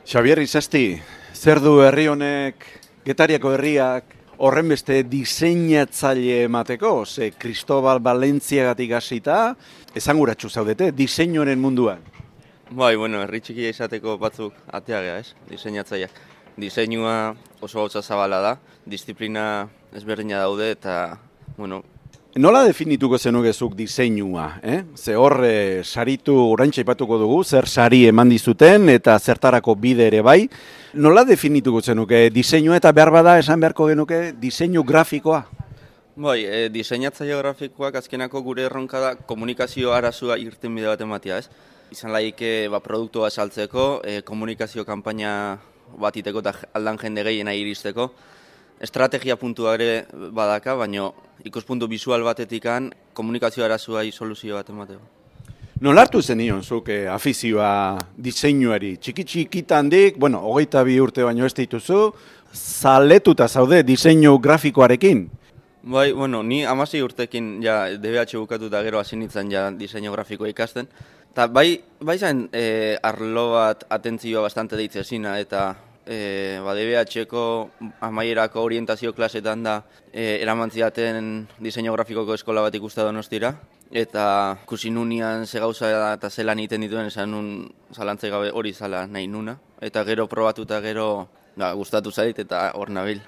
Xabier Izasti, zer du herri honek, Getariako herriak, horren beste diseinatzaile emateko? Ze Cristobal Valentziagatik hasita, esanguratsu zaudete, diseinuaren munduan. Bai, herri txikia izateko batzuk atea gea, ez? Diseinatzaileak. Diseinua oso gauza zabala da, disiplina ezberdina daude eta, Nola definituko zenukezuk diseinua? Ze hor, saritu oraintxe aipatuko dugu, zer sari eman dizuten eta zertarako bide ere bai. Nola definituko zenuke diseinua eta behar bada esan beharko genuke diseinu grafikoa? Bai, diseinatzaile grafikoak azkenako gure erronka da komunikazio arazua irtenbide bat ematea, ez? Izan laike produktua saltzeko, komunikazio kanpaina bat iteko eta aldan jende gehiena iristeko. Estrategia puntua ere badaka, baina ikuspuntu bisual batetikan komunikazio arazuai soluzio bat emateko. Nola hartu zenion zuk afizioa diseinuari? Txiki-txikitandik, 22 urte baino ez dituzu, zaletuta zaude diseinu grafikoarekin? Bai, ni 16 urtekin ja DBH bukatuta gero hasi nintzen ja diseinu grafikoa ikasten. Eta bai zen arlo bat atentzioa bastante deitzezina eta DBH-eko amaierako orientazio klasetan da eraman zidaten diseinu grafikoko eskola bat ikusta Donostira. Eta ikusi nunian ze gauza eta zelan egiten dituen esan nun zalantzai gabe hori zala nahi nuna. Eta gero probatuta gero gustatu zait eta hor nabil.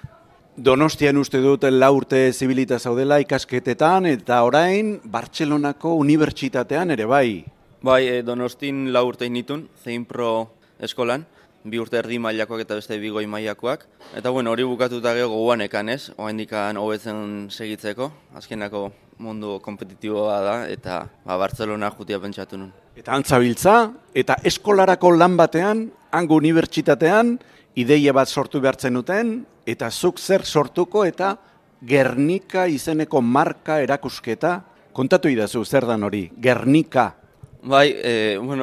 Donostian uste dut 4 urte zibilita zaudela ikasketetan eta orain Bartzelonako unibertsitatean ere bai. Bai, Donostin 4 urte nitun, Zeinpro eskolan, 2 urte erdi mailakoak eta beste 2 goi mailakoak. Eta hori bukatuta gero gogoanekan ez, oraindikan hobetzen segitzeko, azkenako mundu kompetitiboa da eta Bartzelona jutia pentsatu nun. Eta antzabiltza, eta eskolarako lan batean, hango unibertsitatean, ideia bat sortu behartzen duten, eta zuk zer sortuko eta Gernika izeneko marka erakusketa, kontatu idazu zer dan hori, Gernika. Bai,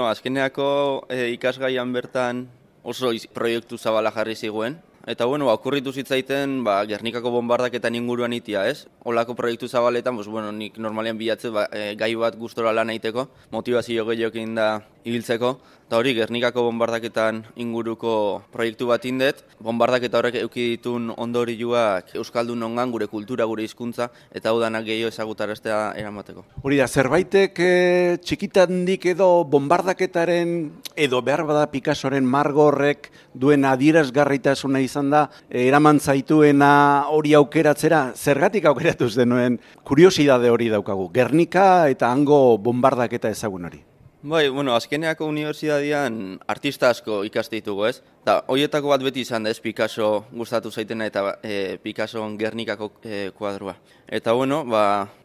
azkeneako ikasgaian bertan oso proiektu zabala jarri ziguen. Eta okurritu zitzaiten Gernikako bombardaketan inguruan itia, ez? Olako proiektu zabaletan, nik normalean bilatzen gai bat gustora lan egiteko, motivazio gehiokin da ibiltzeko. Eta hori, Gernikako bombardaketan inguruko proiektu bat indet, bombardaketa horrek eduki ditun ondorioak euskaldun ongan gure kultura, gure hizkuntza eta hau danak gehiago ezagutaraztea eramateko. Hori da, zerbaitek txikitandik edo bombardaketaren edo behar bada Picassoren margorrek duen adierazgarritasuna izan da, eraman zaituena hori aukeratzera, zergatik aukeratu zenuen kuriosidade hori daukagu, Gernika eta hango bombardaketa ezagun hori. Bai, azkeneako unibertsitatean artista asko ikaste ditugu, ez? Da, horietako bat beti izan da, ez, Picasso gustatu zaitena eta Picasson Gernikako kuadrua. Eta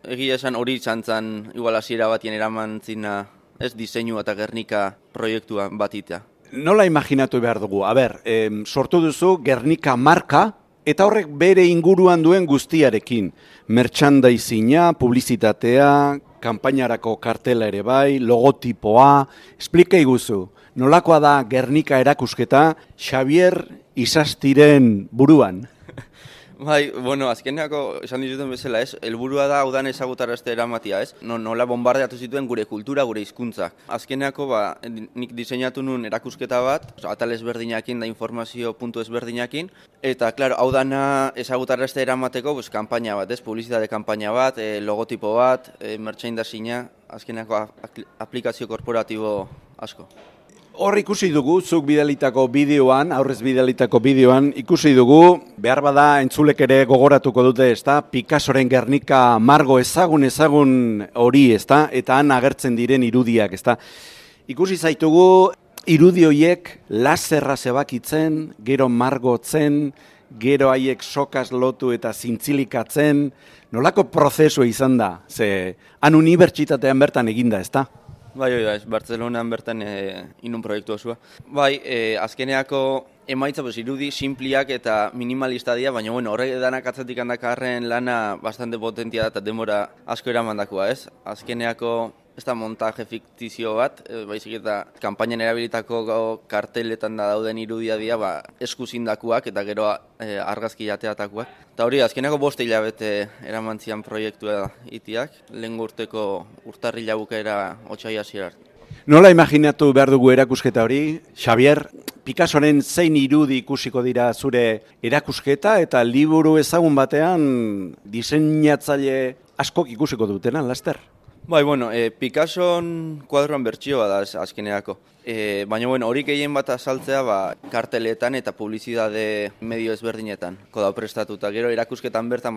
egia esan hori izan zen igual hasiera batien eraman zina, ez, diseinu eta Gernika proiektua batitea. Nola imaginatu behar dugu? Sortu duzu Gernika marka, eta horrek bere inguruan duen guztiarekin. Merchandising-a, publizitatea, kanpainarako kartela ere bai, logotipoa, esplika iguzu. Nolakoa da Gernika erakusketa Xabier Izastiren buruan? Bai, azkeneako esan dizuten bezala, ez? Helburua da hau dan ezagutarazte eramatia, ez? Nola bombardeatu zituen gure kultura, gure hizkuntza. Azkeneako nik diseinatu nun erakusketa bat, atal ezberdinakin da informazio puntu ezberdinakin, eta hau dana ezagutarazte eramateko kanpaina bat, ez? Publizitate kanpaina bat, logotipo bat, merchandising-a, azkeneako aplikazio korporatibo asko. Hor ikusi dugu, zuk bidalitako bideoan, aurrez bidalitako bideoan, ikusi dugu, behar bada entzulek ere gogoratuko dute, ezta? Picassoren Gernika margo ezagun hori, ezta? Eta han agertzen diren irudiak, ezta? Ikusi zaitugu, irudi horiek laserra zebakitzen, gero margotzen, gero haiek sokaz lotu eta zintzilikatzen, nolako prozesua izan da? Ze, han unibertsitatean bertan eginda, ezta? Bai, Bartzelonan bertan inun proiektu osua. Bai, azkeneako emaitza irudi simpliak eta minimalista dira, baina horrek danak atzatik handakarren lana bastante potentia da eta demora asko eramandakoa, ez? Azkeneako ez da montaje fiktizio bat, baizik eta kanpainan erabilitako karteletan da dauden irudia dira eskuzindakuak eta gero argazki jateatakoak. Eta hori, azkeneko 5 hilabete eramantzian proiektua itiak, lehen urteko urtarrila bukaera otsaila hasierar. Nola imaginatu behar dugu erakusketa hori? Xavier, Picassoren zein irudi ikusiko dira zure erakusketa eta liburu ezagun batean diseinatzaile askok ikusiko dutena, laster? Bai, bueno, Picasson kuadroan bertsioa da azkenerako. Baina, bueno, hori gehien bat azaltzea, karteletan eta publizitate medio ezberdinetan. Kodau prestatuta. Gero erakusketan bertan,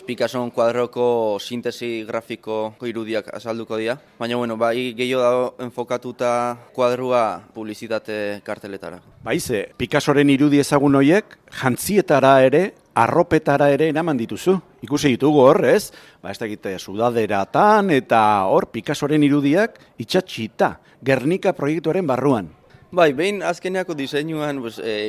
Picasson kuadroko sintesi grafiko irudiak azalduko dira. Baina, bueno, gehiago dago enfokatuta kuadrua publizitate karteletara. Baize, Picassoren irudi ezagun horiek, jantzietara ere, arropetara ere eraman dituzu. Ikusi ditugu hor, ez? Ez dakite, sudaderatan eta hor Picassoren irudiak itxatxita, Gernika proiektuaren barruan. Bai, behin azkeneako diseinuan,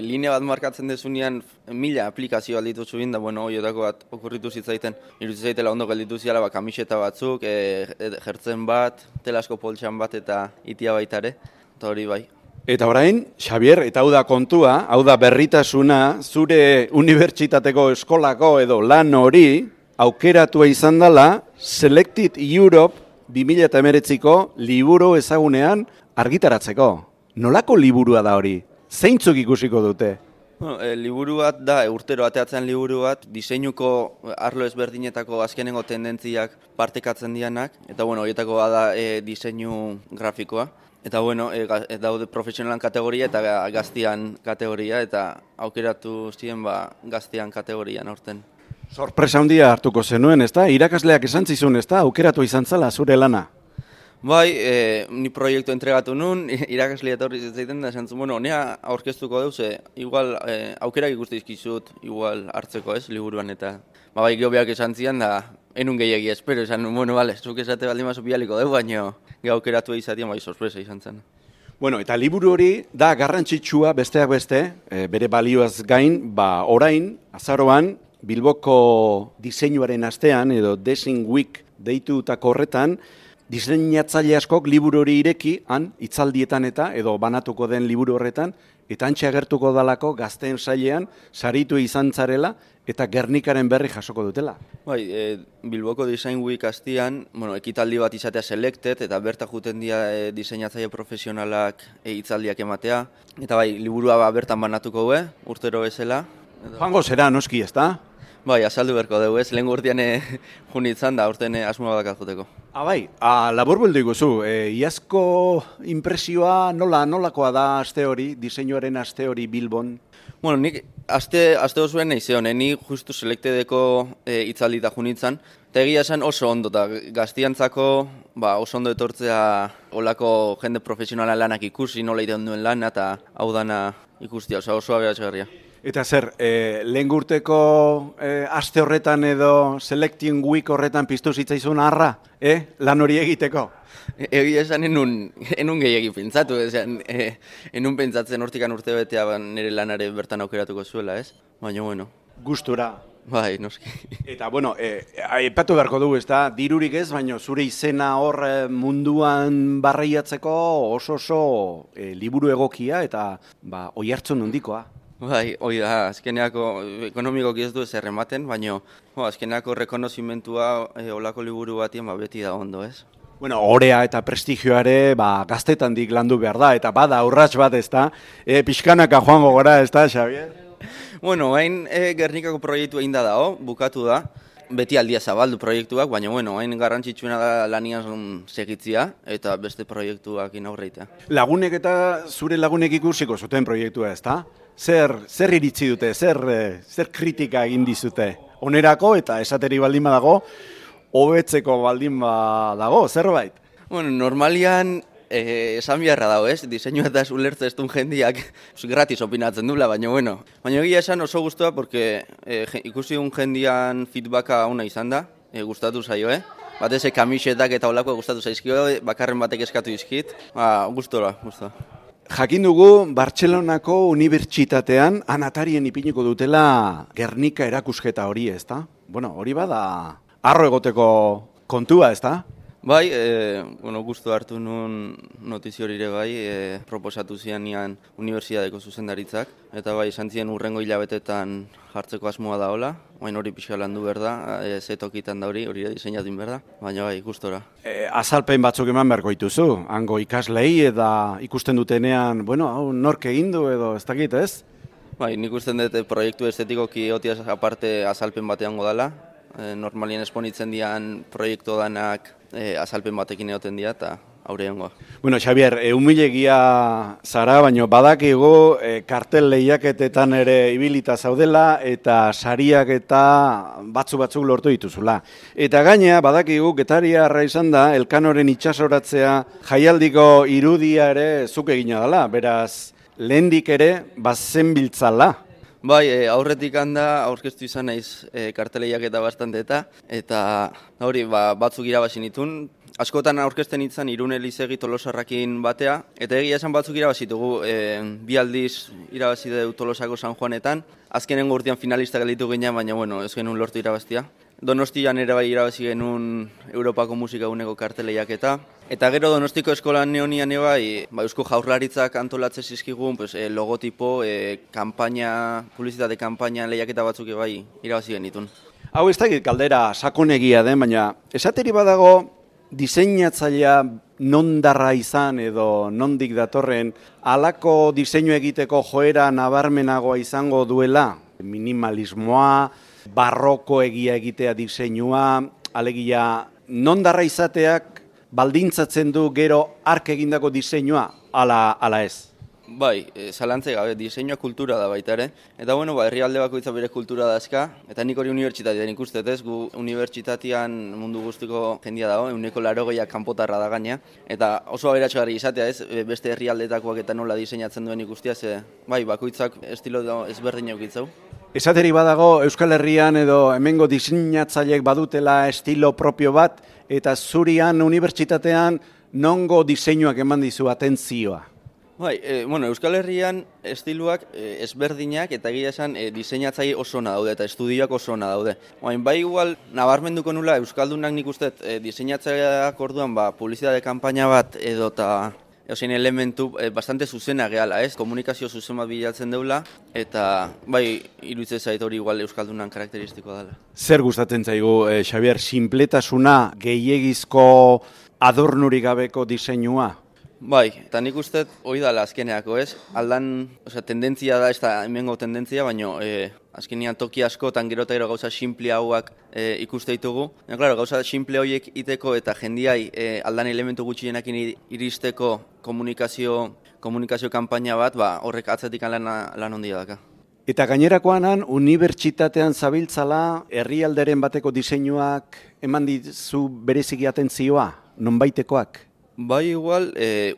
linea bat markatzen dezunean 1000 aplikazio alditu zuen, da, bueno, horietako bat okurritu zitzaiten. Iruditzen zaitela ondo gelditu ziala, kamiseta batzuk, jertzen bat, telasko poltsan bat eta itia baitare, eta hori bai. Eta orain, Xavier, eta hau da kontua, hau da berritasuna, zure unibertsitateko eskolako edo lan hori aukeratua izan dela Selected Europe 2019ko liburu ezagunean argitaratzeko. Nolako liburua da hori? Zeintzuk ikusiko dute? Bueno, liburu bat da, urtero ateatzen liburu bat, diseinuko arlo ezberdinetako azkenengo tendentziak partekatzen dianak, eta bueno, horietako da diseinu grafikoa. Eta bueno, daude profesionalan kategoria eta gaztian kategoria, eta aukeratu ziren gaztian kategorian aurten. Sorpresa handia hartuko zenuen, ezta? Irakasleak esan zizun, ezta? Aukeratu izan zela zure lana. Bai, ni proiektu entregatu nun, irakaslea etorri zitzaiten da, esan zuen, bueno, nea aurkeztuko duz, igual aukerak ikuste izkizut, igual hartzeko ez, liburuan, eta bai, gehobeak esan zian, da, enun gehiagi espero, esan, bueno, bale, zuk esate baldin mazu bialiko dugu, baina aukeratu izatien, bai, sorpresa izan zen. Bueno, eta liburu hori da garrantzitsua besteak beste, bere balioaz gain, orain, azaroan, Bilboko diseinuaren astean, edo Design Week deitutako horretan, diseinatzaile askok liburu hori ireki, han, hitzaldietan edo banatuko den liburu horretan, eta antxe agertuko dalako gazteen sailean, saritu izan zarela, eta Gernikaren berri jasoko dutela. Bai, Bilboko Design Week astean, ekitaldi bat izatea Selected, eta berta juten dira diseinatzaile profesionalak hitzaldiak ematea. Eta bai, liburua bertan banatuko du, urtero bezala. Joango zera, noski, ezta? Bai, azaldu berko dugu, ez? Lehen urtean junitzen da, urtean asmoa badak joteko. Bai, labur buldu iguzu, iazko impresioa nolakoa da aste hori, diseinuaren aste hori Bilbon? Bueno, nik aste osuen nahi zeon, ni justu Selectedeko hitzaldita junitzen, eta egia esan oso ondo, eta gaztiantzako oso ondo etortzea olako jende profesionala lanak ikusi, nola iten duen lana, eta hau dana ikustia, oso aberatxegarria. Eta zer, lehen urteko aste horretan edo Selecting Week horretan piztu zitzaizun harra, lan hori egiteko? Egia esan enun gehiagi pentsatu, enun pentsatzen hortikan urte betea nire lanare bertan aukeratuko zuela, ez? Baina, bueno. Gustura. Bai, noski. Eta, bueno, aipatu beharko dugu, ez da, dirurik ez, baina zure izena hor munduan barreiatzeko oso liburu egokia eta oihartzun handikoa. Bai, hori da, azkeneako ekonomikoki ez du ez errematen, baina azkeneako rekonozimentua olako liburu batien beti da ondo, ez? Bueno, orea eta prestigioare gaztetandik landu behar da, eta bada urrats bat ez da, pixkanaka joango gora ez da, Xavier? Bueno, hain Gernikako proiektu egin da dago, bukatu da, beti aldia zabaldu proiektuak, baina hain garrantzitsuena da lanian segitzia, eta beste proiektuak inaurreitea. Lagunek eta zure lagunek ikusiko zuten proiektua ez da? Zer iritzi dute, zer kritika egin dizute? Onerako eta esateri baldin badago, hobetzeko baldin badago, zerbait? Bueno, normalian esan biharra dago, ez? Diseinua eta ulertze ez duen jendiak gratis opinatzen dula, baina bueno. Baina egia esan oso guztua, porque ikusi duen jendian feedbacka ona izan da, gustatu zaio, Batez kamisetak eta olako gustatu zaizkio, bakarren batek eskatu izkit, gustora. Jakin dugu, Bartzelonako unibertsitatean anatarien ipiniko dutela Gernika erakusketa hori, ezta? Bueno, hori bada harro egoteko kontua, ezta? Bai, gustu hartu nun notizio hori ere bai, proposatu zianian unibertsitateko zuzendaritzak, eta bai, esan zien urrengo hilabetetan jartzeko asmoa da hola, baina hori pixka landu behar da, ze tokitan da hori diseinatu behar da, baina bai, gustora. Azalpen batzuk eman beharko dituzu, hango ikaslei eta ikusten dutenean, hau nork egin du edo ez dakit, ez? Bai, nik usten dut proiektu estetikoki otiaz aparte azalpen batean godala, normalien esponitzen dian proiektu danak azalpen batekin egoten dira eta aurreangoa. Xabier, humilegia zara, baina badakigu kartel lehiaketetan ere ibilita zaudela eta sariak eta batzuk lortu dituzula. Eta gainea, badakigu Getariarra izan da, Elkanoren itsasoratzea jaialdiko irudia ere zuk egina dela, beraz, lehendik ere bazen biltzala. Bai, aurretik handa aurkeztu izan naiz karteleiak eta bastante eta hori batzuk irabazi nitun. Askotan aurkezten itzan Irun Elizegi Tolosarrakin batea, eta egia esan batzuk irabazitugu, bi aldiz irabazi dugu Tolosako San Juanetan, azkenengo urtean finalista gelditu ginen, baina ez genuen lortu irabaztia. Donostian ere bai irabazi genuen Europako Musika Eguneko karteleiak eta gero Donostiko eskolan neonian bai Eusko Jaurlaritzak antolatze zizkigun logotipo, publizitate kanpaina lehiaketa batzuk bai irabazi genitun. Hau ez dakit galdera sakonegia den, baina esateri badago diseinatzailea nondarra izan edo nondik datorren halako diseinu egiteko joera nabarmenagoa izango duela, minimalismoa, barroko egia egitea diseinua, alegia nondarra izateak baldintzatzen du gero ark egindako diseinua, ala ez? Bai, zalantze gabe, diseinua kultura da baita ere. Eta herrialde bakoitza bere kultura dazka, eta nik hori unibertsitatean ikustet ez, gu unibertsitatean mundu guztiko jendia dago, 80% kanpotarra da gaina, eta oso aberatsugarri izatea ez, beste herrialdetakoak eta nola diseinatzen duen ikustea, bai, bakoitzak estilo ezberdin eukitzau. Esateri badago Euskal Herrian edo hemengo diseinatzaileek badutela estilo propio bat, eta zurian unibertsitatean nongo diseinuak eman dizu atentzioa? Bai, Euskal Herrian estiluak ezberdinak eta egia esan diseinatzaile oso ona daude eta estudioak oso ona daude. Bai igual nabarmenduko nula Euskaldunak nik uste diseinatzaileak orduan publizitate kanpaina bat edo eta elementu bastante zuzena gehala, komunikazio zuzen bat bilatzen deula eta bai iruditzen zait hori igual Euskaldunan karakteristikoa dela. Zer gustatzen zaigu, Xabier, sinpletasuna, gehiegizko adornurik gabeko diseinua? Bai, eta nik uste hori dala azkeneako aldan, tendentzia da, ez da hemengo tendentzia, baina azkenean toki askotan gero eta gero gauza simple hauak ikuste ditugu. Gauza simple horiek iteko eta jendiai aldan elementu gutxienekin iristeko komunikazio kanpaina bat, horrek atzetik lan ondia daka. Eta gainerakoanan, unibertsitatean zabiltzala, herrialderen bateko diseinuak eman dizu bereziki atentzioa, nonbaitekoak? Bai igual,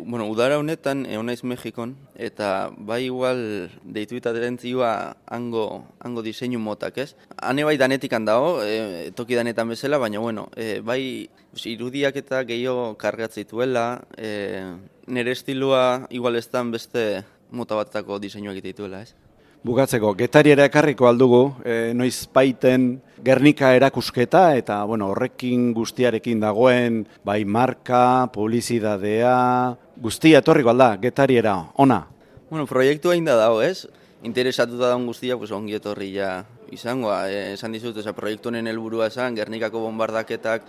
udara honetan, naiz Mexikon, eta bai igual deitu eta atentzioa hango diseinu motak, ez? Hane bai danetik handago, toki danetan bezala, baina bai irudiak eta gehiago kargatzituela, nire estilua igual ez dan beste mota batako diseinuak dituela, ez? Bukatzeko, Getariara ekarriko aldugu, noiz baiten Gernika erakusketa eta horrekin guztiarekin dagoen bai marka, publizidadea, guztia etorriko alda, Getariara, ona? Proiektu hain da dago, ez? Interesatuta daun guztia, ongi etorri izangoa. Esan dizut, proiektu honen helburua esan, Gernikako bombardaketak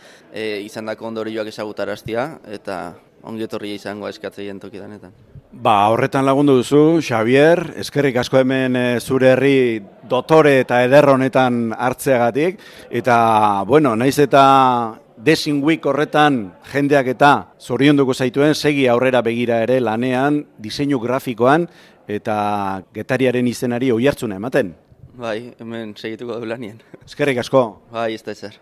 izandako ondorioak ezagutaraztia, eta ongi etorri izangoa eskatzeien tokidanetan. Horretan lagundu duzu, Xabier, eskerrik asko hemen zure herri dotore eta eder honetan hartzeagatik, eta, naiz eta Design Week horretan jendeak eta zorionduko zaituen, segi aurrera begira ere lanean, diseinu grafikoan, eta Getariaren izenari oihartzuna ematen. Bai, hemen segituko du lanien. Eskerrik asko. Bai, ez da ezer.